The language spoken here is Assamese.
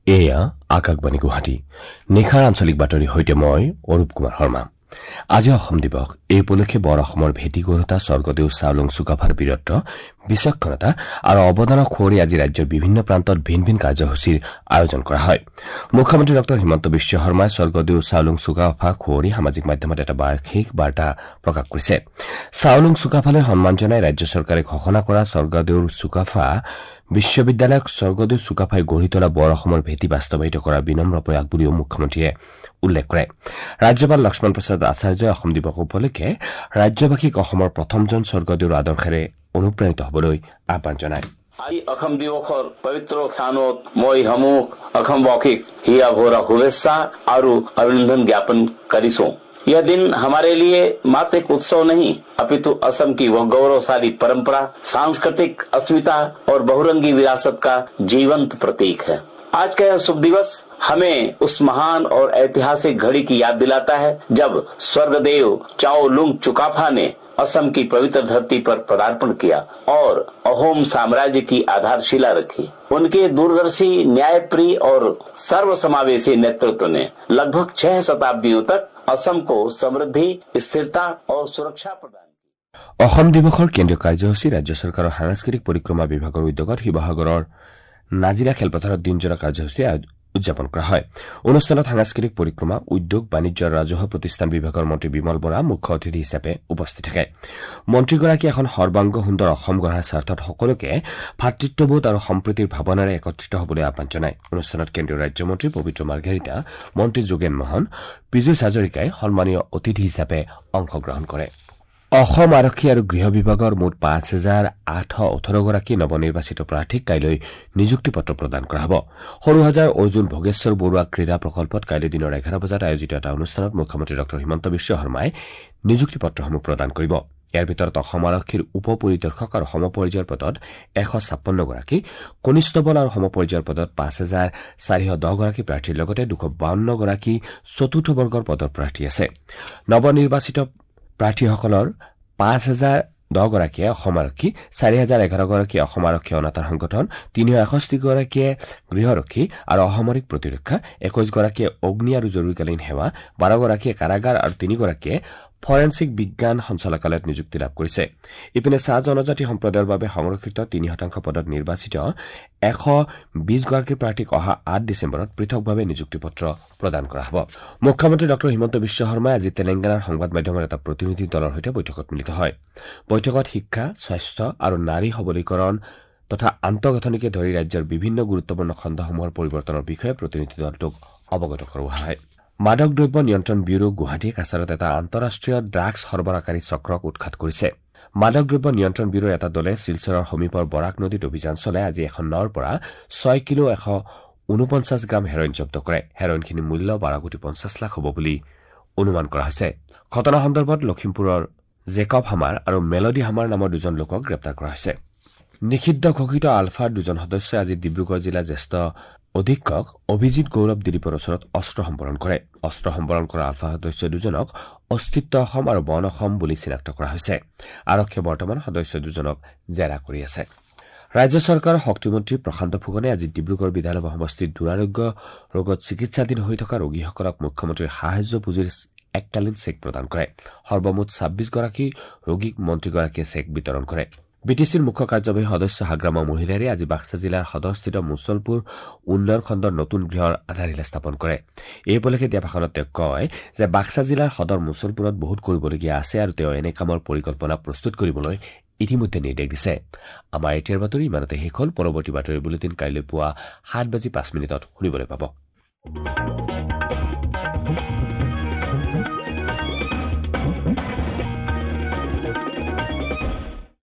এয়া আকাশবাণী গুৱাহাটী। নিশাৰ আঞ্চলিক বাতৰিৰ সৈতে মই অৰূপ কুমাৰ শৰ্মা। আজি অসম দিৱস। এই উপলক্ষে বৰ অসমৰ ভেটি গঢ়োতা স্বৰ্গদেউ চাওলুং চুকাফাৰ বীৰত্ব, বিচক্ষণতা আৰু অৱদানক সুঁৱৰি আজি ৰাজ্যৰ বিভিন্ন প্ৰান্তত ভিন ভিন কাৰ্যসূচীৰ আয়োজন কৰা হয়। মুখ্যমন্ত্ৰী ডঃ হিমন্ত বিশ্ব শৰ্মাই স্বৰ্গদেউ চাওলুং চুকাফাক সুঁৱৰি সামাজিক মাধ্যমত এটা বিশেষ বাৰ্তা প্ৰকাশ কৰিছে। চাওলুং চুকাফালৈ সন্মান জনাই ৰাজ্য চৰকাৰে ঘোষণা কৰা স্বৰ্গদেউৰ চুকাফা বিশ্ববিদ্যালয়ক স্বৰ্গদেউ চুকাফাই গঢ়ি তোলা বৰ অসমৰ ভেটি বাস্তৱায়িত কৰাৰ বিনম্ৰ প্ৰয়াস বুলিও মুখ্যমন্ত্ৰীয়ে উল্লেখ কৰে। ৰাজ্যপাল লক্ষ্মণ প্ৰসাদ আচাৰ্যই অসম দিৱস উপলক্ষে ৰাজ্যবাসীক অসমৰ প্ৰথমজন স্বৰ্গদেউৰ আদৰ্শেৰে অনুপ্ৰাণিত হ'বলৈ আহ্বান জনায়। আজি অসম দিৱসৰ পবিত্ৰ ক্ষণত মই সমূহ অসমবাসীক হিয়া ভৰা শুভেচ্ছা আৰু অভিনন্দন জ্ঞাপন কৰিছো। यह दिन हमारे लिए मात्र एक उत्सव नहीं, अपितु असम की वह गौरवशाली परंपरा, सांस्कृतिक अस्मिता और बहुरंगी विरासत का जीवंत प्रतीक है। आज का यह शुभ दिवस हमें उस महान और ऐतिहासिक घड़ी की याद दिलाता है जब स्वर्गदेव चाओलुंग चुकाफा ने असम की पवित्र धरती पर पदार्पण किया और अहोम साम्राज्य की आधारशिला रखी। उनके दूरदर्शी, न्यायप्रिय और सर्वसमावेशी नेतृत्व ने लगभग 6 शताब्दियों तक असम को समृद्धि, स्थिरता और सुरक्षा प्रदान की। অসম দিৱসৰ কেন্দ্ৰীয় কাৰ্যসূচী ৰাজ্য চৰকাৰৰ সাংস্কৃতিক পৰিক্ৰমা বিভাগৰ উদ্যোগত শিৱসাগৰৰ নাজিৰা খেলপথাৰত দিনজোৰা কাৰ্যসূচী উদযাপন কৰা হয়। অনুষ্ঠানত সাংস্কৃতিক পৰিক্ৰমা, উদ্যোগ, বাণিজ্য আৰু ৰাজহুৱা প্ৰতিষ্ঠান বিভাগৰ মন্ত্ৰী বিমল বৰা মুখ্য অতিথি হিচাপে উপস্থিত থাকে। মন্ত্ৰীগৰাকীয়ে এখন সৰ্বাংগ সুন্দৰ অসম গঢ়াৰ স্বাৰ্থত সকলোকে ভাতৃত্ববোধ আৰু সম্প্ৰীতিৰ ভাৱনাৰে একত্ৰিত হ'বলৈ আহ্বান জনায়। অনুষ্ঠানত কেন্দ্ৰীয় ৰাজ্যমন্ত্ৰী পবিত্ৰ মাৰ্ঘেৰিটা, মন্ত্ৰী যোগেন মহন, পীযুষ হাজৰিকাই সন্মানীয় অতিথি হিচাপে অংশগ্ৰহণ কৰে। অসম আৰক্ষী আৰু গৃহ বিভাগৰ মুঠ ৫,৮১৮ গৰাকী নৱনিৰ্বাচিত প্ৰাৰ্থীক কাইলৈ নিযুক্তি পত্ৰ প্ৰদান কৰা হ'ব। সৰুসজাইৰ অৰ্জুন ভোগেশ্বৰ বৰুৱা ক্ৰীড়া প্ৰকল্পত কাইলৈ দিনৰ ১১ বজাত আয়োজিত এটা অনুষ্ঠানত মুখ্যমন্ত্ৰী ডঃ হিমন্ত বিশ্ব শৰ্মাই নিযুক্তি পত্ৰসমূহ প্ৰদান কৰিব। ইয়াৰ ভিতৰত অসম আৰক্ষীৰ উপ পৰিদৰ্শক আৰু সমপৰ্যায়ৰ পদত ১৫৬ গৰাকী, কনিষ্টবল আৰু সমপৰ্যায়ৰ পদত ৫,৪১০ গৰাকী প্ৰাৰ্থীৰ লগতে ২৫২ গৰাকী চতুৰ্থ বৰ্গৰ পদৰ প্ৰাৰ্থী আছে। নৱনিৰ্বাচিত প্ৰাৰ্থীসকলৰ ৫,০১০ গৰাকীয়ে অসম আৰক্ষী, ৪,০১১ গৰাকীয়ে অসম আৰক্ষী অনাতাঁৰ সংগঠন, ৩৬১ গৰাকীয়ে গৃহৰক্ষী আৰু অসামৰিক প্ৰতিৰক্ষা, ২১ গৰাকীয়ে অগ্নি আৰু জৰুৰীকালীন সেৱা, ১২ গৰাকীয়ে কাৰাগাৰ আৰু ৩ গৰাকীয়ে ফৰেনছিক বিজ্ঞান সঞ্চালকালয়ত নিযুক্তি লাভ কৰিছে। ইপিনে চাহ জনজাতি সম্প্ৰদায়ৰ বাবে সংৰক্ষিত ৩% পদত নিৰ্বাচিত ১২০ গৰাকী প্ৰাৰ্থীক অহা ৮ ডিচেম্বৰত পৃথকভাৱে নিযুক্তি পত্ৰ প্ৰদান কৰা হ'ব। মুখ্যমন্ত্ৰী ডঃ হিমন্ত বিশ্ব শৰ্মাই আজি তেলেংগানাৰ সংবাদ মাধ্যমৰ এটা প্ৰতিনিধি দলৰ সৈতে বৈঠকত মিলিত হয়। বৈঠকত শিক্ষা, স্বাস্থ্য আৰু নাৰী সবলীকৰণ তথা আন্তঃগাঁথনিকে ধৰি ৰাজ্যৰ বিভিন্ন গুৰুত্বপূৰ্ণ খণ্ডসমূহৰ পৰিৱৰ্তনৰ বিষয়ে প্ৰতিনিধি দলটোক অৱগত কৰোৱা হয়। মাদক দ্ৰব্য নিয়ন্ত্ৰণ ব্যুৰো গুৱাহাটী কাছাৰত এটা আন্তঃৰাষ্ট্ৰীয় ড্ৰাগছ সৰবৰাহকাৰী চক্ৰক উৎখাত কৰিছে। মাদক দ্ৰব্য নিয়ন্ত্ৰণ ব্যুৰোৰ এটা দলে শিলচৰৰ সমীপৰ বৰাক নদীত অভিযান চলাই আজি এখন নাৱৰ পৰা ৬ কিলো ১৪৯ গ্ৰাম হেৰইন জব্দ কৰে। হেৰইনখিনিৰ মূল্য ১২ কোটি ৫০ লাখ হ'ব বুলি অনুমান কৰা হৈছে। ঘটনা সন্দৰ্ভত লখিমপুৰৰ জেকব হামাৰ আৰু মেলডি হামাৰ নামৰ দুজন লোকক গ্ৰেপ্তাৰ কৰা হৈছে। নিষিদ্ধ ঘোষিত আলফাৰ দুজন সদস্যই আজি ডিব্ৰুগড় জিলাৰ জ্যেষ্ঠ অধীক্ষক অভিজিৎ গৌৰৱ দিলীপৰ ওচৰত অস্ত্ৰ সম্বৰণ কৰে। অস্ত্ৰ সম্বৰণ কৰা আলফা সদস্য দুজনক অস্তিত্ব অসম আৰু বন অসম বুলি চিনাক্ত কৰা হৈছে। আৰক্ষীয়ে বৰ্তমান সদস্য দুজনক জেৰা কৰি আছে। ৰাজ্য চৰকাৰৰ শক্তিমন্ত্ৰী প্ৰশান্ত ফুকনে আজি ডিব্ৰুগড় বিধানসভা সমষ্টিত দুৰাৰোগ্য ৰোগত চিকিৎসাধীন হৈ থকা ৰোগীসকলক মুখ্যমন্ত্ৰীৰ সাহায্য পুঁজিৰ এককালীন চেক প্ৰদান কৰে। সৰ্বমুঠ ২৬ গৰাকী ৰোগীক মন্ত্ৰীগৰাকীয়ে চেক বিতৰণ কৰে। বিটিচিৰ মুখ্য কাৰ্যবাহী সদস্য হাগ্ৰামা মহিলাৰে আজি বাক্সা জিলাৰ সদৰস্থিত মুছলপুৰ উন্নয়ন খণ্ডৰ নতুন গৃহৰ আধাৰশিলা স্থাপন কৰে। এই উপলক্ষে দিয়া ভাষণত তেওঁ কয় যে বাক্সা জিলাৰ সদৰ মুছলপুৰত বহুত কৰিবলগীয়া আছে আৰু তেওঁ এনে কামৰ পৰিকল্পনা প্ৰস্তুত কৰিবলৈ ইতিমধ্যে নিৰ্দেশ দিছে। আমাৰ এতিয়াৰ বাতৰি ইমানতে শেষ হ'ল। পৰৱৰ্তী বাতৰি বুলেটিন কাইলৈ পুৱা ৭:০৫ শুনিবলৈ পাব।